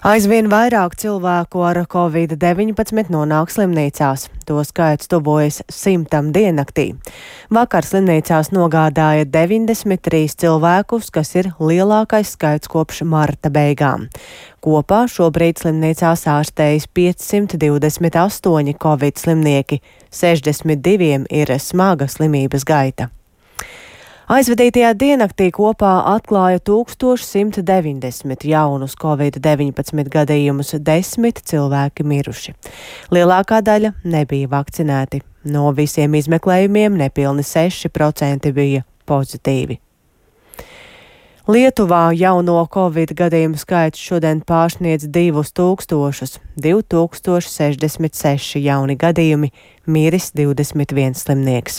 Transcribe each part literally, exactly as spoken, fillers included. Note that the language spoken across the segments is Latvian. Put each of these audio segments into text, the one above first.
Aizvien vairāk cilvēku ar covid deviņpadsmit nonāk slimnīcās. To skaits tuvojas simtam diennaktī. Vakar slimnīcās nogādāja deviņdesmit trīs cilvēkus, kas ir lielākais skaits kopš marta beigām. Kopā šobrīd slimnīcās ārstējas piecsimt divdesmit astoņi covid slimnieki, sešdesmit diviem ir smaga slimības gaita. Aizvadītajā diennaktī kopā atklāja tūkstoš simt deviņdesmit jaunus covid deviņpadsmit gadījumus, desmit cilvēki miruši. Lielākā daļa nebija vakcinēti. No visiem izmeklējumiem nepilni seši procenti bija pozitīvi. Lietuvā jauno covid gadījumu skaits šodien pārsniedz divus tūkstošus, divi tūkstoši sešdesmit seši jauni gadījumi, miris divdesmit viens slimnieks.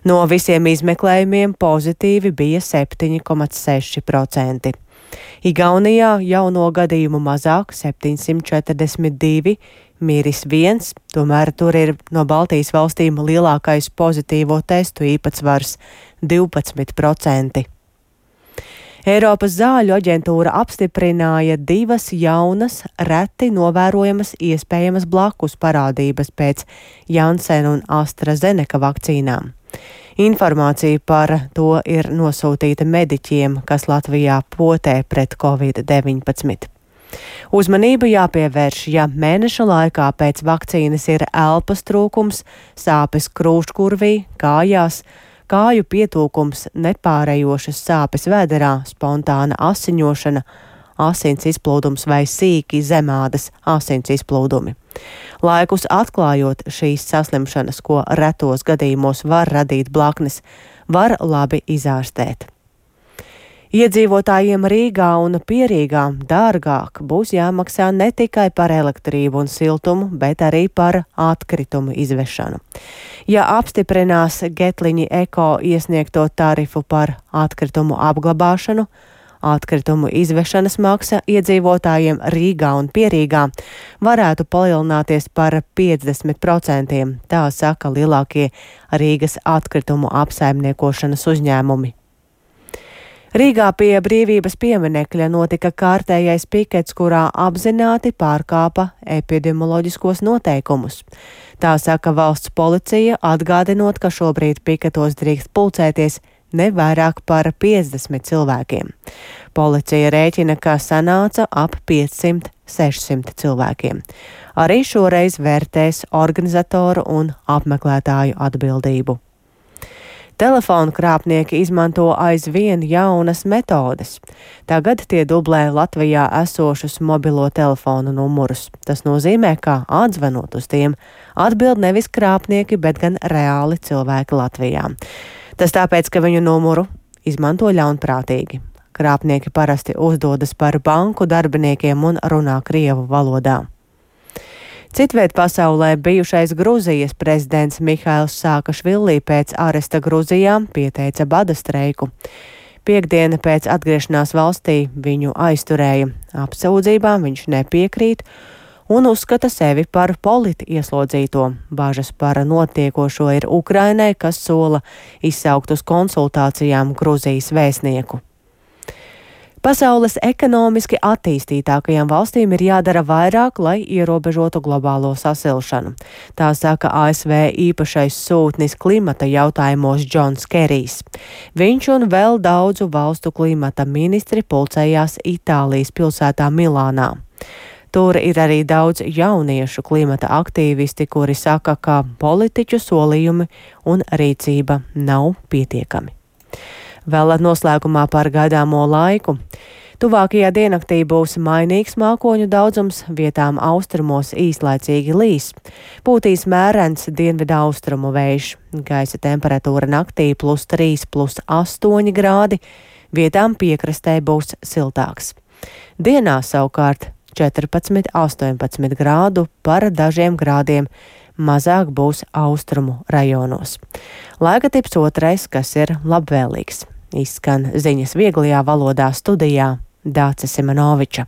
No visiem izmeklējumiem pozitīvi bija septiņi komats seši procenti. Igaunijā jauno gadījumu mazāk, septiņsimt četrdesmit divi, miris viens, tomēr tur ir no Baltijas valstīm lielākais pozitīvo testu īpatsvars - divpadsmit procenti. Eiropas zāļu aģentūra apstiprināja divas jaunas, reti novērojamas iespējamas blakus parādības pēc Janssen un AstraZeneca vakcīnām. Informācija par to ir nosūtīta mediķiem, kas Latvijā potē pret covid deviņpadsmit. Uzmanību jāpievērš, ja mēneša laikā pēc vakcīnas ir elpas trūkums, sāpes krūškurvī, kājās, kāju pietūkums, nepārējošas sāpes vēderā, spontāna asiņošana, asins izplūdums vai sīki zemādas asins izplūdumi. Laikus atklājot šīs saslimšanas, ko retos gadījumos var radīt blaknes, var labi izārstēt. Iedzīvotājiem Rīgā un Pierīgā dārgāk būs jāmaksā ne tikai par elektrību un siltumu, bet arī par atkritumu izvešanu. Ja apstiprinās Getliņi Eko iesniegto tarifu par atkritumu apglabāšanu, atkritumu izvešanas maksa iedzīvotājiem Rīgā un Pierīgā varētu palielināties par piecdesmit procentiem, tā saka lielākie Rīgas atkritumu apsaimniekošanas uzņēmumi. Rīgā pie Brīvības pieminekļa notika kārtējais pikets, kurā apzināti pārkāpa epidemioloģiskos noteikumus. Tā saka valsts policija, atgādinot, ka šobrīd piketos drīkst pulcēties ne vairāk par piecdesmit cilvēkiem. Policija rēķina, ka sanāca ap piecsimt sešsimt cilvēkiem. Arī šoreiz vērtēs organizatoru un apmeklētāju atbildību. Telefonu krāpnieki izmanto aizvien jaunas metodes. Tagad tie dublē Latvijā esošus mobilo telefonu numurus. Tas nozīmē, ka atzvanot uz tiem atbild nevis krāpnieki, bet gan reāli cilvēki Latvijā. Tas tāpēc, ka viņu numuru izmanto ļaunprātīgi. Krāpnieki parasti uzdodas par banku darbiniekiem un runā krievu valodā. Citviet pasaulē bijušais Gruzijas prezidents Mihails Sākašvili pēc aresta Gruzijā pieteica bada streiku. Piektdiena pēc atgriešanās valstī viņu aizturēja. Apsūdzībām viņš nepiekrīt un uzskata sevi par politi ieslodzīto. Bažas par notiekošo ir Ukrainai, kas sola izsaukt uz konsultācijām Gruzijas vēstnieku. Pasaules ekonomiski attīstītākajām valstīm ir jādara vairāk, lai ierobežotu globālo sasilšanu. Tā saka A S V īpašais sūtnis klimata jautājumos Džons Kerijs. Viņš un vēl daudzu valstu klimata ministri pulcējās Itālijas pilsētā Milānā. Tur ir arī daudz jauniešu klimata aktīvisti, kuri saka, ka politiķu solījumi un rīcība nav pietiekami. Vēl noslēgumā par gaidāmo laiku. Tuvākajā diennaktī būs mainīgs mākoņu daudzums, vietām austrumos īslaicīgi līs. Pūtīs mērens dienvidu austrumu vējš. Gaisa temperatūra naktī plus trīs, plus astoņi grādi, vietām piekrastē būs siltāks. Dienā savukārt četrpadsmit, astoņpadsmit grādu, par dažiem grādiem mazāk būs austrumu rajonos. Laika tips otrais, kas ir labvēlīgs. Izskan ziņas vieglajā valodā studijā Dāce Simonoviča.